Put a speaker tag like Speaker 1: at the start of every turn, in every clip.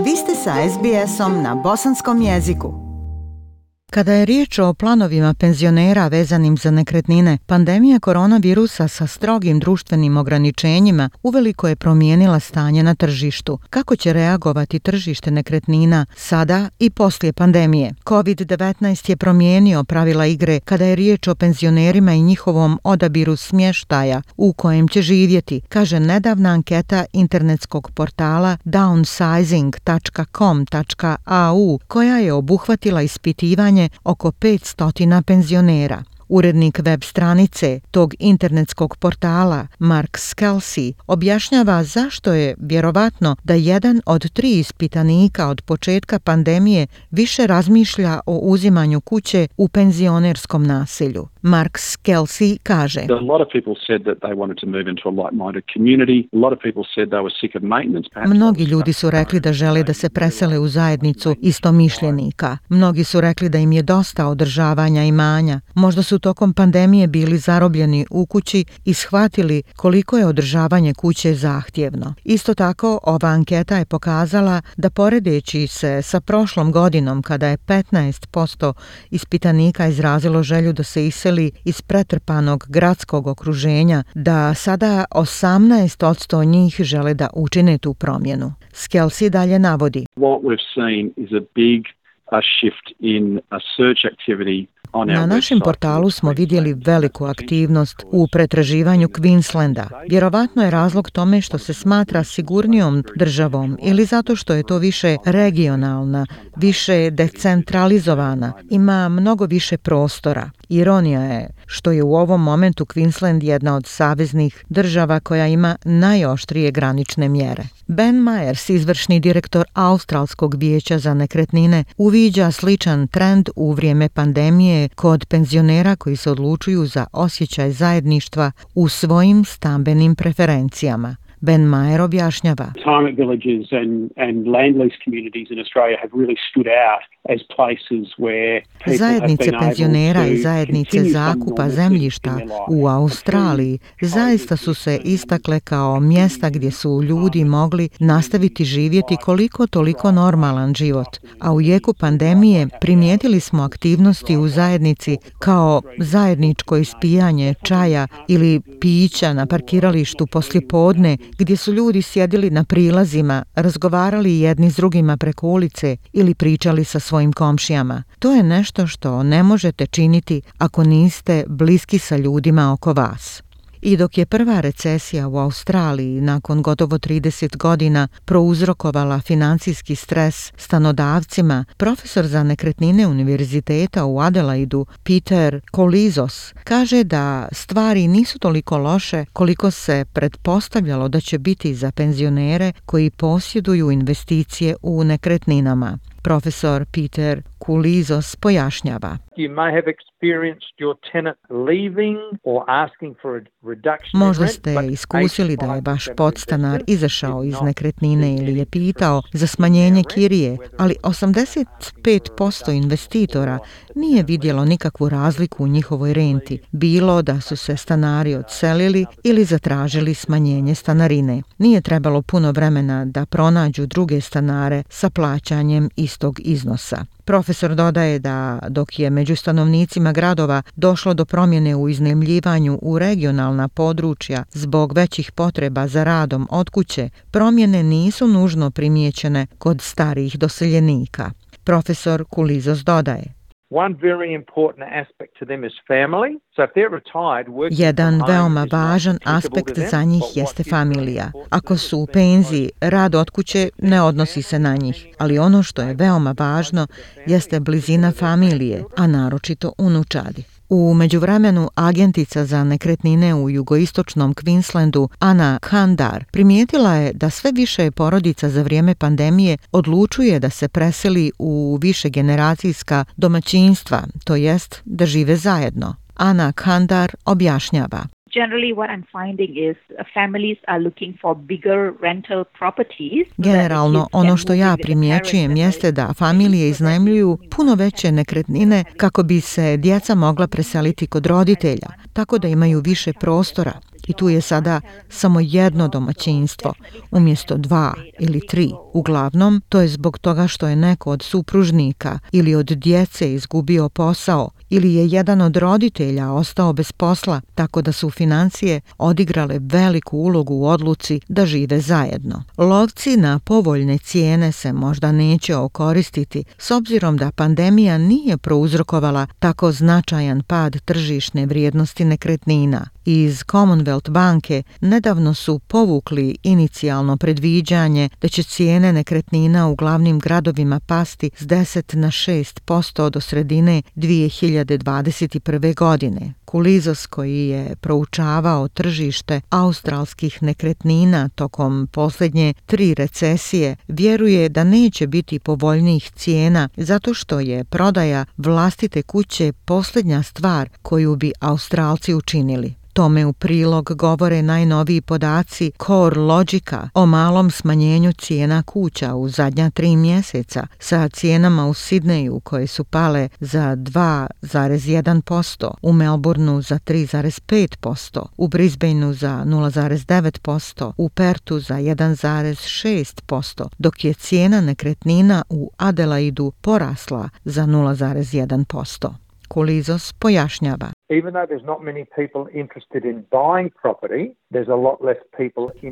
Speaker 1: Vi ste sa SBS-om na bosanskom jeziku.
Speaker 2: Kada je riječ o planovima penzionera vezanim za nekretnine, pandemija koronavirusa sa strogim društvenim ograničenjima uveliko je promijenila stanje na tržištu. Kako će reagovati tržište nekretnina sada i poslije pandemije? COVID-19 je promijenio pravila igre kada je riječ o penzionerima i njihovom odabiru smještaja u kojem će živjeti, kaže nedavna anketa internetskog portala downsizing.com.au koja je obuhvatila ispitivanje oko 500 penzionera. Urednik web stranice tog internetskog portala, Mark Scelsi, objašnjava zašto je vjerovatno da 1 od 3 ispitanika od početka pandemije više razmišlja o uzimanju kuće u penzionerskom naselju. Mark Scelsi kaže: Mnogi ljudi su rekli da žele da se presele u zajednicu istomišljenika. Mnogi su rekli da im je dosta održavanja imanja. Možda su tokom pandemije bili zarobljeni u kući i shvatili koliko je održavanje kuće zahtjevno. Isto tako, ova anketa je pokazala da poredeći se sa prošlom godinom kada je 15% ispitanika izrazilo želju da se iseli iz pretrpanog gradskog okruženja, da sada 18% njih žele da učine tu promjenu. Scelsi dalje navodi: Na našem portalu smo vidjeli veliku aktivnost u pretraživanju Queenslanda. Vjerovatno je razlog tome što se smatra sigurnijom državom ili zato što je to više regionalna, više decentralizovana, ima mnogo više prostora. Ironija je što je u ovom momentu Queensland jedna od saveznih država koja ima najoštrije granične mjere. Ben Myers, izvršni direktor Australskog vijeća za nekretnine, uviđa sličan trend u vrijeme pandemije kod penzionera koji se odlučuju za osjećaj zajedništva u svojim stambenim preferencijama. Ben Mayer objašnjava: Zajednice penzionera i zajednice zakupa zemljišta u Australiji zaista su se istakle kao mjesta gdje su ljudi mogli nastaviti živjeti koliko toliko normalan život, a u jeku pandemije primijetili smo aktivnosti u zajednici kao zajedničko ispijanje čaja ili pića na parkiralištu poslijepodne, gdje su ljudi sjedili na prilazima, razgovarali jedni s drugima preko ulice ili pričali sa svojim komšijama. To je nešto što ne možete činiti ako niste bliski sa ljudima oko vas. I dok je prva recesija u Australiji nakon gotovo 30 godina prouzrokovala financijski stres stanodavcima, profesor za nekretnine univerziteta u Adelaidu Peter Koulizos kaže da stvari nisu toliko loše koliko se pretpostavljalo da će biti za penzionere koji posjeduju investicije u nekretninama. Profesor Peter Koulizos pojašnjava: Možda ste iskusili da je vaš podstanar izašao iz nekretnine ili je pitao za smanjenje kirije, ali 85% investitora nije vidjelo nikakvu razliku u njihovoj renti, bilo da su se stanari odselili ili zatražili smanjenje stanarine. Nije trebalo puno vremena da pronađu druge stanare sa plaćanjem istog iznosa. Profesor dodaje da dok je među stanovnicima gradova došlo do promjene u iznajmljivanju u regionalna područja zbog većih potreba za radom od kuće, promjene nisu nužno primijećene kod starijih doseljenika. Profesor Koulizos dodaje: Jedan veoma važan aspekt za njih jeste familija. Ako su u penziji, rad od kuće ne odnosi se na njih, ali ono što je veoma važno jeste blizina familije, a naročito unučadi. U međuvremenu agentica za nekretnine u jugoistočnom Queenslandu Anna Kandar primijetila je da sve više porodica za vrijeme pandemije odlučuje da se preseli u višegeneracijska domaćinstva, to jest da žive zajedno. Anna Kandar objašnjava: Generalno, ono što ja primjećujem jeste da familije iznajmljuju puno veće nekretnine kako bi se djeca mogla preseliti kod roditelja, tako da imaju više prostora. i tu je sada samo jedno domaćinstvo umjesto 2 ili 3. Uglavnom, to je zbog toga što je neko od supružnika ili od djece izgubio posao ili je jedan od roditelja ostao bez posla, tako da su financije odigrale veliku ulogu u odluci da žive zajedno. Lovci na povoljne cijene se možda neće okoristiti s obzirom da pandemija nije prouzrokovala tako značajan pad tržišne vrijednosti nekretnina. Iz Commonwealth banke nedavno su povukli inicijalno predviđanje da će cijene nekretnina u glavnim gradovima pasti s 10 na 6% do sredine 2021. godine. Kulizos, koji je proučavao tržište australskih nekretnina tokom posljednje 3 recesije, vjeruje da neće biti povoljnijih cijena zato što je prodaja vlastite kuće posljednja stvar koju bi Australci učinili. Tome u prilog govore najnoviji podaci CoreLogica o malom smanjenju cijena kuća u zadnja 3 mjeseca sa cijenama u Sidneju koje su pale za 2,1%, u Melbourneu za 3,5%, u Brisbaneu za 0,9%, u Perthu za 1,6%, dok je cijena nekretnina u Adelaidu porasla za 0,1%. Kulizos pojašnjava.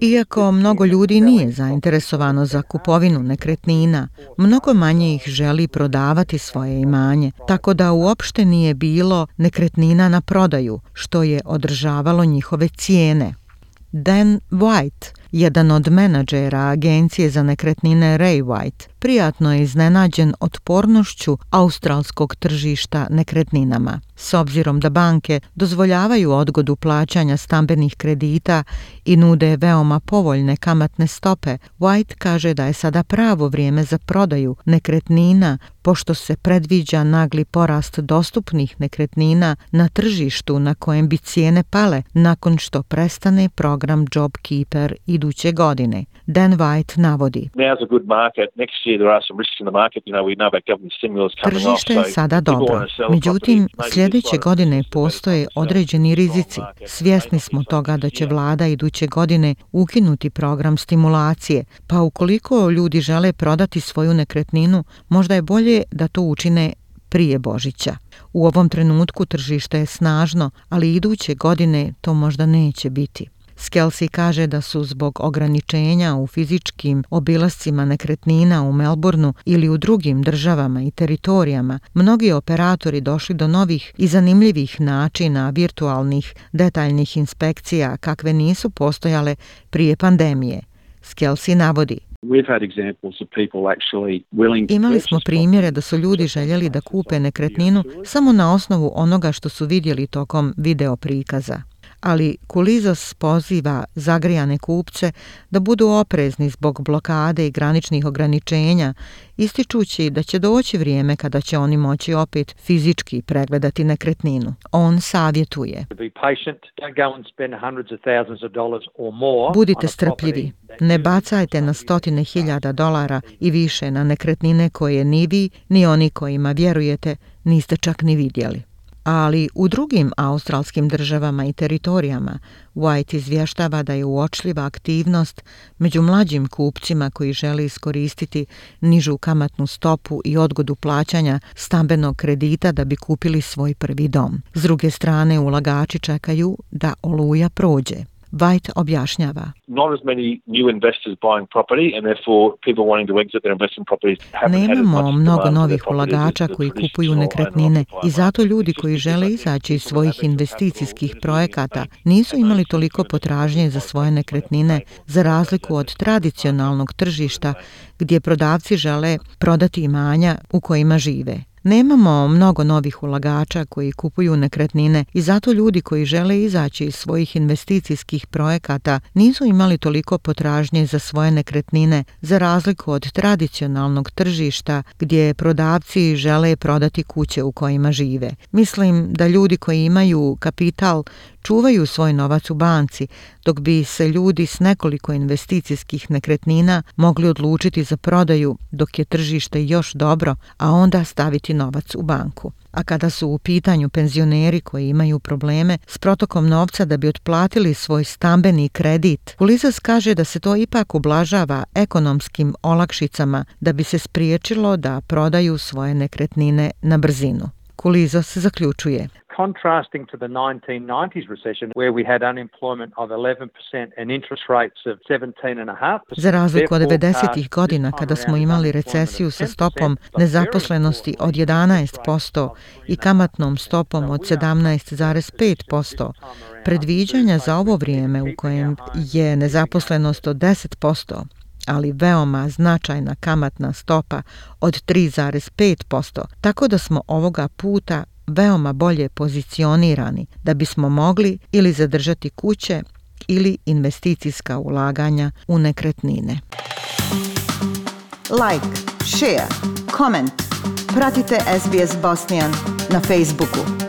Speaker 2: Iako mnogo ljudi nije zainteresovano za kupovinu nekretnina, mnogo manje ih želi prodavati svoje imanje, tako da uopšte nije bilo nekretnina na prodaju, što je održavalo njihove cijene. Dan White, jedan od menadžera agencije za nekretnine Ray White, prijatno je iznenađen otpornošću australskog tržišta nekretninama. S obzirom da banke dozvoljavaju odgodu plaćanja stambenih kredita i nude veoma povoljne kamatne stope, White kaže da je sada pravo vrijeme za prodaju nekretnina, pošto se predviđa nagli porast dostupnih nekretnina na tržištu na kojem bi cijene pale nakon što prestane program JobKeeper iduće godine. Dan White navodi. Tržište je sada dobro, međutim, sljedeće godine postoje određeni rizici. Svjesni smo toga da će vlada iduće godine ukinuti program stimulacije, pa ukoliko ljudi žele prodati svoju nekretninu, možda je bolje da to učine prije Božića. U ovom trenutku tržište je snažno, ali iduće godine to možda neće biti. Skelsi kaže da su zbog ograničenja u fizičkim obilascima nekretnina u Melbourneu ili u drugim državama i teritorijama mnogi operatori došli do novih i zanimljivih načina virtualnih detaljnih inspekcija kakve nisu postojale prije pandemije. Skelsi navodi. Imali smo primjere da su ljudi željeli da kupe nekretninu samo na osnovu onoga što su vidjeli tokom video prikaza. Ali Kulizos poziva zagrijane kupce da budu oprezni zbog blokade i graničnih ograničenja, ističući da će doći vrijeme kada će oni moći opet fizički pregledati nekretninu. On savjetuje. Budite strpljivi, ne bacajte na $100,000 i više na nekretnine koje ni vi, ni oni kojima vjerujete niste čak ni vidjeli. Ali u drugim australskim državama i teritorijama White izvještava da je uočljiva aktivnost među mlađim kupcima koji žele iskoristiti nižu kamatnu stopu i odgodu plaćanja stambenog kredita da bi kupili svoj prvi dom. S druge strane, ulagači čekaju da oluja prođe. White objašnjava. Nemamo mnogo novih ulagača koji kupuju nekretnine i zato ljudi koji žele izaći iz svojih investicijskih projekata nisu imali toliko potražnje za svoje nekretnine za razliku od tradicionalnog tržišta gdje prodavci žele prodati imanja u kojima žive. Nemamo mnogo novih ulagača koji kupuju nekretnine i zato ljudi koji žele izaći iz svojih investicijskih projekata nisu imali toliko potražnje za svoje nekretnine za razliku od tradicionalnog tržišta gdje prodavci žele prodati kuće u kojima žive. Mislim da ljudi koji imaju kapital čuvaju svoj novac u banci, dok bi se ljudi s nekoliko investicijskih nekretnina mogli odlučiti za prodaju dok je tržište još dobro, a onda staviti novac u banku. A kada su u pitanju penzioneri koji imaju probleme s protokom novca da bi otplatili svoj stambeni kredit, Kulizas kaže da se to ipak ublažava ekonomskim olakšicama da bi se spriječilo da prodaju svoje nekretnine na brzinu. Kulizas zaključuje:
Speaker 3: Contrasting to the 1990s recession where we had unemployment of 11% and interest rates of 17.5%.
Speaker 2: Za razliku od 90-ih godina kada smo imali recesiju sa stopom nezaposlenosti od 11% i kamatnom stopom od 17,5%, predviđanja za ovo vrijeme u kojem je nezaposlenost od 10%, ali veoma značajna kamatna stopa od 3,5%, tako da smo ovoga puta veoma bolje pozicionirani da bismo mogli ili zadržati kuće ili investicijska ulaganja u nekretnine.
Speaker 1: Like, share, comment. Pratite SBS Bosnian na Facebooku.